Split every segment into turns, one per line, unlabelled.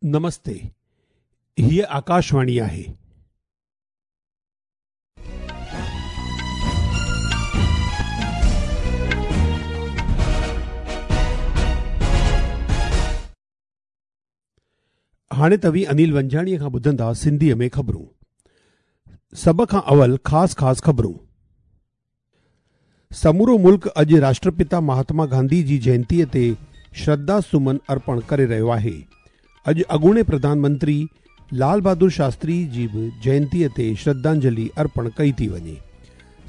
نمستي، هيء آڪاشواڻي آهي. هاڻي توهين انيل ونجهاڻيء کان ٻڌندا سنڌيء ۾ خبرون. سڀ کان اول خاص خاص خبرون. سمورو ملڪ اڄ راشٽرپتا مهاتما گانڌي جي جينتيء تي شرڌا سمن ارپڻ ڪري رهيو آهي. اڄ اڳوڻي پرڌان منتري لال بهادر شاستري جي به جينتيء تي شرڌانجلي ارپڻ ڪئي ٿي وڃي.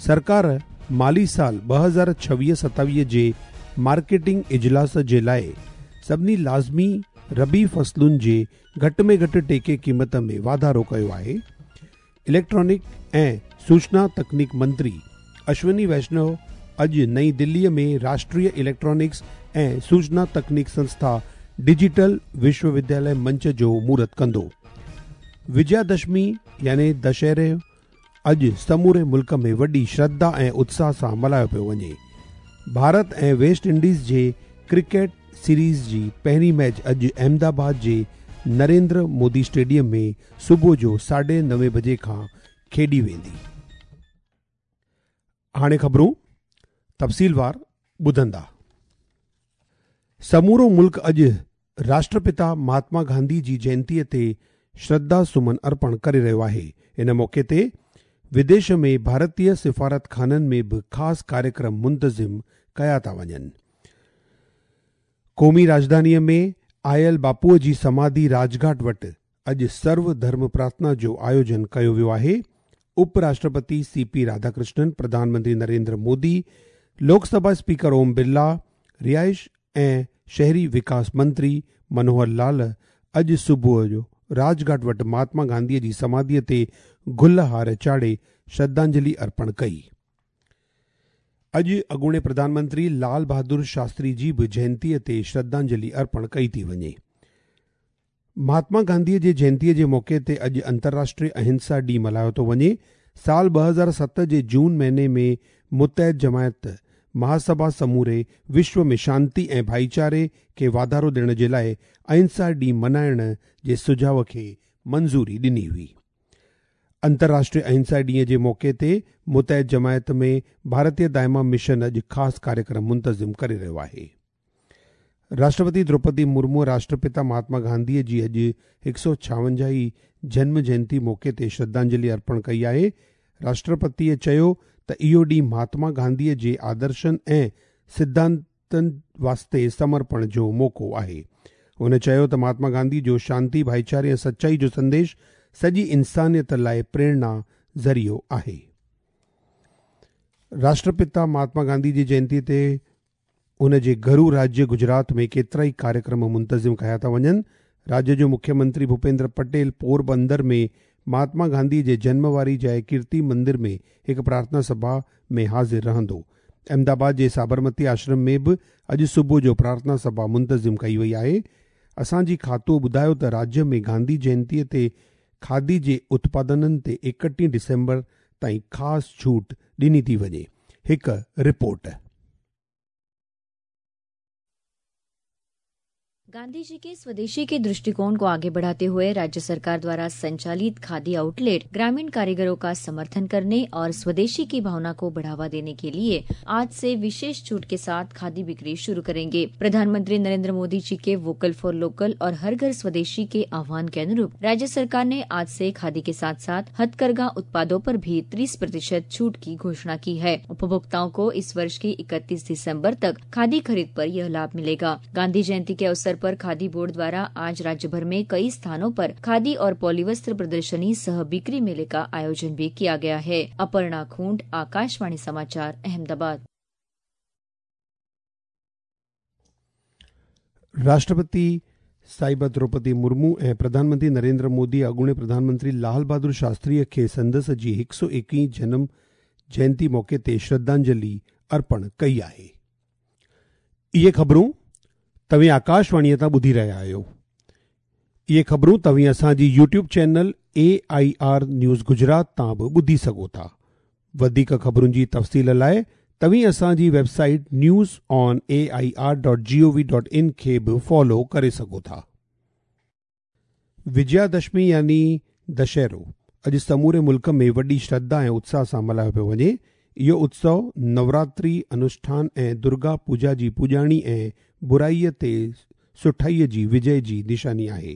سرڪار مالي سال 2026 27 جي مارڪيٽنگ اجلاس جي لاء سڀني لازمي ربيع فصلن جي گهٽ ۾ گهٽ ٽيڪي قيمت ۾ واڌارو ڪيو آهي. اليڪٽرانڪ ۽ سوچنا تڪنيڪ منتري اشوني ويشنو اڄ نئين دليء ۾ راشٽريه اليڪٽرانڪس ۽ سوچنا تڪنيڪ سنسٿا ڊجيٽل وشو ودياليه منچ جو مهورت ڪندو. وجيا دشمي يعني دشهرو اڄ سموري ملڪ ۾ وڏي شرڌا ۽ اتساهه سان ملهايو پيو وڃي. ڀارت ۽ ويسٽ انڊيز جي ڪرڪيٽ سيريز جي پهرين ميچ اڄ احمد آباد جي نريندر مودي اسٽيڊيم ۾ صبح جو ساڍي نوين بجي کان کيڏي ويندي. هاڻي خبرون تفصيلوار ٻڌندا. سمورو ملڪ اڄ راشٽرپتا مهاتما گانڌي جي جينتيء تي شرڌا سمن ارپڻ ڪري رهيو آهي. ان موقعي تي وديش ۾ ڀارتي سفارتخانن ۾ به خاص ڪاريڪرم منتظم ڪيا ٿا وڃن. قومي راڄڌانيء ۾ آيل باپوء جي سماڌي راڄگهاٽ وٽ اڄ سرو ڌرم پرارٿنا جو آيوجن ڪيو ويو آهي. اپ راشٽرپتي سي پي راڌاڪرشنن، پرڌان منتري نريندر مودي، لوڪ سڀا اسپيڪر اوم برلا، رهائش ۽ شهري وڪاس منتري منوهر لال اڄ صبح جو راڄگهاٽ وٽ مهاتما گانڌيء جي سماڌيء تي گل هار چاڙهي شرڌانجلي ارپڻ ڪئي. اڄ اڳوڻي پرڌان منتري لال بهادر شاستري جي به جينتيء تي شرڌانجلي ارپڻ ڪئي ٿي وڃي. مهاتما گانڌيء جي جينتيء جي موقعي تي اڄ انترراشٽريه اهنسا ڏينهن ملهايو ٿو وڃي. سال 2007 جي جون مهيني ۾ متحد جماعت مهاسڀا سموري وشو ۾ شانتي ۽ ڀائيچاري کي واڌارو ڏيڻ جي لاء اهنسا ڏينهن ملهائڻ جي سجهاء کي منظوري ڏني هئي. انترراشٽريه اهنسا ڏينهن جي موقعي تي متحد جماعت ۾ ڀارتيه دائما مشن اڄ خاص ڪاريڪرم منتظم ڪري رهيو آهي. راشٽرپتي دروپدي مرمو راشٽرپتا مهاتما گانڌيء جي اڄ 156 هين جنم جينتي موقعي تي شرڌانجلي ارپڻ ڪئي آهي. راشٽرپتيء چيو ته اهو ڏينهن مهاتما گانڌيء جي آدرشن ۽ سڌانتن واسطي سمرپڻ جو موقعو آهي. هن چيو ته مهاتما گانڌي جو شانتي، ڀائيچاري ۽ سچائي جو سنديش سڄي انسانيت لاء پريرڻا ذريعو آهي. راشٽرپتا مهاتما گانڌي جي جينتي تي ان جي گهرو راجيه گجرات ۾ ڪيترائي ڪاريڪرم منتظم ڪيا ٿا وڃن. راجيه جو مکيه منتري ڀوپيندر پٽيل پوربندر ۾ مهاتما گانڌي جي جنم واري جاء ڪيرتي مندر ۾ هڪ پرارٿنا سڀا ۾ حاضر رهندو. احمد آباد جي سابرمتي آشرم ۾ به اڄ صبح جو پرارٿنا سڀا منتظم ڪئي وئي آهي. اسان جي کاتوء ٻڌايو ته راجيه ۾ گانڌي جينتيء تي کادي جي اتپادنن تي 31 ڊسمبر تائين خاص ڇوٽ ڏني ٿي وڃي. هڪ رپورٽ.
गांधी जी के स्वदेशी के दृष्टिकोण को आगे बढ़ाते हुए राज्य सरकार द्वारा संचालित खादी आउटलेट ग्रामीण कारीगरों का समर्थन करने और स्वदेशी की भावना को बढ़ावा देने के लिए आज से विशेष छूट के साथ खादी बिक्री शुरू करेंगे। प्रधानमंत्री नरेंद्र मोदी जी के वोकल फॉर लोकल और हर घर स्वदेशी के आह्वान के अनुरूप राज्य सरकार ने आज से खादी के साथ साथ हथकरघा उत्पादों पर भी 30% छूट की घोषणा की है। उपभोक्ताओं को इस वर्ष की 31 दिसम्बर तक खादी खरीद पर यह लाभ मिलेगा। गांधी जयंती के अवसर पर खादी बोर्ड द्वारा आज राज्य भर में कई स्थानों पर खादी और पॉलीवस्त्र प्रदर्शनी सह बिक्री मेले का आयोजन भी किया गया है। अपर्णा खूंट, आकाशवाणी समाचार, अहमदाबाद।
राष्ट्रपति साहिबा द्रौपदी मुर्मू ऐं प्रधानमंत्री नरेंद्र मोदी अॻूणे प्रधानमंत्री लाल बहादुर शास्त्रीअ खे संदसि जी 121 जनम जयंती मौक़े ते श्रद्धांजलि अर्पण कई आहे। इहे ख़बरूं तव्हीं आकाशवाणीअ तां ॿुधी रहिया आहियो। इहे ख़बरूं तव्हीं असांजी YouTube channel A I R news Gujarat तां बि ॿुधी सघो था। वधीक ख़बरुनि जी तफ़सील लाइ तव्हीं असांजी website news on A I R dot G O V dot in खे बि फॉलो करे सघो था। وجيا دشمي يعني دشهرو اڄ سموري ملڪ ۾ وڏي شرڌا ۽ اتساهه سان ملهايو پيو وڃي. اهو اتسو نوراتري انوشٺان ۽ درگا پوڄا جي پڄاڻي ۽ برائيء تي سٺائيء جي وجي جي نشاني آهي.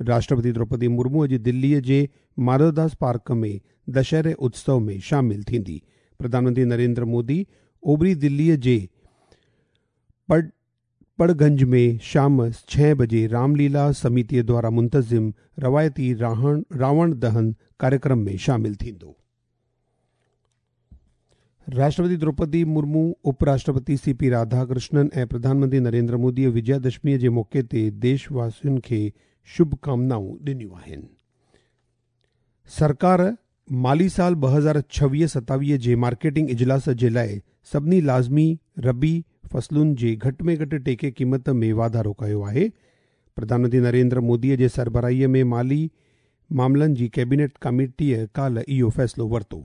راشٽرپتي دروپدي مرمو اڄ دليء جي ماڌوداس پارڪ ۾ دشهري اتسو ۾ شامل ٿيندي. پرڌان منتري نريندر مودي اوڀري دليء جي پڙگنج ۾ شام 6 بجي رامليلا سميتيء دواران منتظم روايتي راوڻ دهن ڪاريڪرم ۾ شامل ٿيندو. راشٽرپتي دروپدي مرمو، اپ راشٽرپتي سي پي راڌاڪرشنن ۽ پرڌان منتري نريندر موديء وجيا دشميء جي موقعي تي ديش واسين کي شڀ ڪامنائون ڏنيون آهن. سرڪار مالي سال 2026-27 جي مارڪيٽنگ اجلاس جي لاء سڀني لازمي ربيع فصلن جي گهٽ ۾ گهٽ ٽيڪي قيمت ۾ واڌارو ڪيو آهي. پرڌان منتري نريندر موديء جي سربراهيء ۾ مالي معاملن جي ڪيبينيٽ ڪاميٽيء ڪالهه اهو فيصلو ورتو.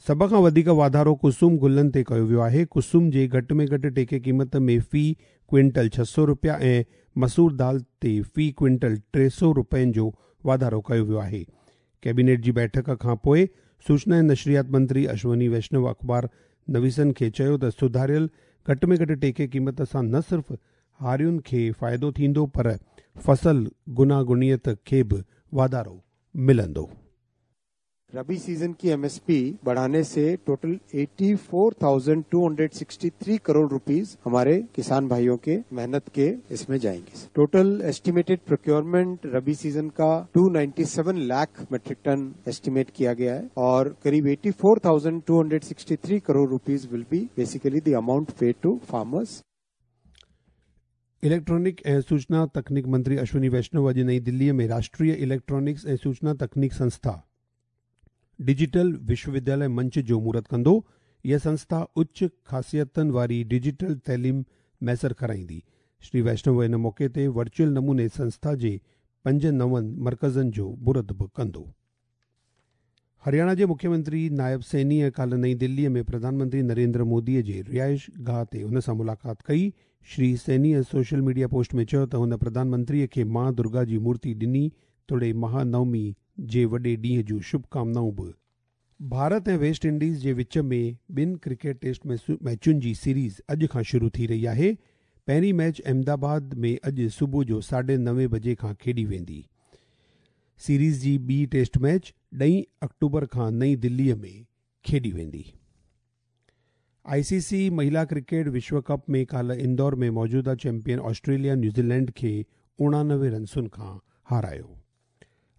سڀ کان وڌيڪ واڌارو ڪسم گلن تي ڪيو ويو آهي. ڪسم جي گهٽ ۾ گهٽ ٽيڪي قيمت ۾ في ڪوئنٽل 600 رپيا ۽ مسور دال تي في ڪوئنٽل 300 رپين جو واڌارو ڪيو ويو آهي. ڪيبينيٽ جي بيٺڪ کان پوء سوچنا ۽ نشريات منتري اشوني ويشنو اخبار نويسن کي چيو ته سڌاريل گهٽ ۾ گهٽ ٽيڪي قيمت سان نه صرف هارين کي فائدو ٿيندو پر فصل گوناگونيت کي به واڌارو ملندو.
रबी सीजन की एमएसपी बढ़ाने से टोटल 84,263 करोड़ रुपीस हमारे किसान भाइयों के मेहनत के इसमें जाएंगे। टोटल एस्टिमेटेड प्रोक्योरमेंट रबी सीजन का 297 लाख मेट्रिक टन एस्टिमेट किया गया है और करीब 84,263 crore rupees will be basically the amount paid to farmers.
Electronic ऐं सूचना तकनीक मंत्री अश्विनी वैष्णव अॼु नई दिल्लीअ में राष्ट्रीय इलेक्ट्रॉनिक्स ऐं सूचना तकनीक संस्था डिजिटल विश्वविद्यालय मंच जो मुहूर्त कंदो। इहा संस्था उच्च ख़ासियतनि वारी डिजिटल तइलीम मयसर कराईंदी। श्री वैष्णव इन मौक़े ते वर्चुअल नमूने संस्था जे 5 नवनि मर्कज़नि जो मुहूर्त बि कंदो। हरियाणा जे मुख्यमंत्री नायब सैनीअ काल्ह नई दिल्लीअ में प्रधानमंत्री नरेंद्र मोदीअ जे रिहाइश गाह ते हुन सां मुलाक़ात कई। श्री सैनीअ सोशल मीडिया पोस्ट में चयो त हुन प्रधानमंत्रीअ खे मां दुर्गा जी मूर्ति ॾिनी तोड़े महानवमी जे वॾे ॾींहं जूं शुभकामनाऊं बि। भारत ऐं वेस्ट इंडीज़ जे विच में 2 क्रिकेट टेस्ट मैचुनि जी सीरीज़ अॼु खां शुरू थी रही आहे। पहिरीं मैच अहमदाबाद में अॼु सुबुह जो 9:30 बजे खां खेॾी वेंदी। सीरीज़ जी ॿी टेस्ट मैच 10 अक्टूबर खां नई दिल्लीअ में खेॾी वेंदी। आईसीसी महिला क्रिकेट विश्व कप में काल्ह इंदौर में मौजूदा चैंपियन ऑस्ट्रेलिया न्यूज़ीलैंड खे 89 रनसुनि खां हारायो।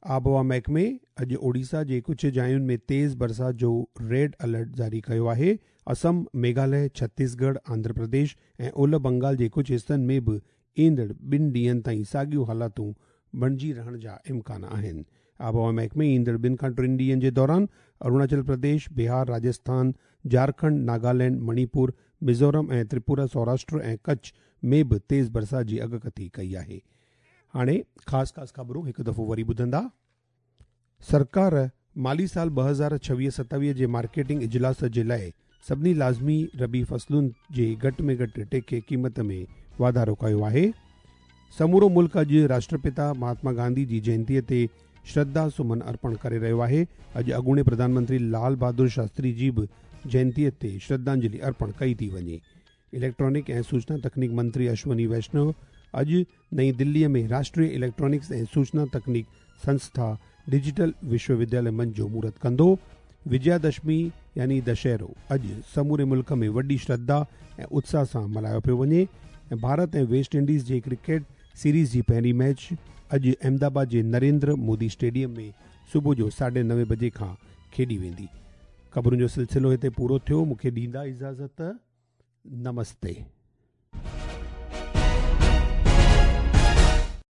आबहवा महकमे अॼु ओडिशा जे कुझु जायुनि में तेज़ बरसाति जो रेड अलर्ट जारी कयो आहे। असम, मेघालय, छत्तीसगढ़, आंध्र प्रदेश ऐं ओलह बंगाल जे कुझु हिसनि में बि ईंदड़ 2 ॾींहंनि ताईं साॻियूं हालातूं बणिजी रहण जा इम्कान आहिनि। आबहवा महकमे ईंदड़ 2 खां 3 ॾींहंनि जे दौरान अरुणाचल प्रदेश, बिहार, राजस्थान, झारखंड, नागालैंड, मणिपुर, मिज़ोरम ऐं त्रिपुरा, सौराष्ट्र ऐं कच्छ में बि तेज़ बरसाति जी अॻकथी कई आहे। हाणे ख़ासि ख़ासि ख़बरूं हिकु दफ़ो वरी ॿुधंदा। सरकार माली साल 2026-27 जे मार्केटिंग इजलास जे लाइ सभिनी लाज़मी रबी फसलुनि जे घटि में घटि टेके क़ीमत में वाधारो कयो आहे। समूरो मुल्क अॼु राष्ट्रपिता महात्मा गांधी जी जयंतीअ ते श्रद्धा सुमन अर्पण करे रहियो आहे। अॼु अॻूणे प्रधानमंत्री लाल बहादुर शास्त्री जी बि जयंतीअ ते श्रद्धांजलि अर्पण कई थी वञे। इलेक्ट्रॉनिक ऐं सूचना तकनीक मंत्री अश्विनी वैष्णव अॼु नई दिल्लीअ में राष्ट्रीय इलेक्ट्रॉनिक्स ऐं सूचना तकनीक संस्था डिजिटल विश्वविद्यालय मंच जो मुहूर्त कंदो। विजयादशमी यानी दशहरो अॼु समूरे मुल्क में वॾी श्रद्धा ऐं उत्साह सां मल्हायो पियो वञे ऐं भारत ऐं वेस्ट इंडीज़ जे क्रिकेट सीरीज़ जी पहिरीं मैच अॼु अहमदाबाद जे नरेंद्र मोदी स्टेडियम में सुबुह जो 9:30 बजे खां खेॾी वेंदी। ख़बरुनि जो सिलसिलो हिते पूरो थियो। मूंखे ॾींदा इजाज़त। नमस्ते।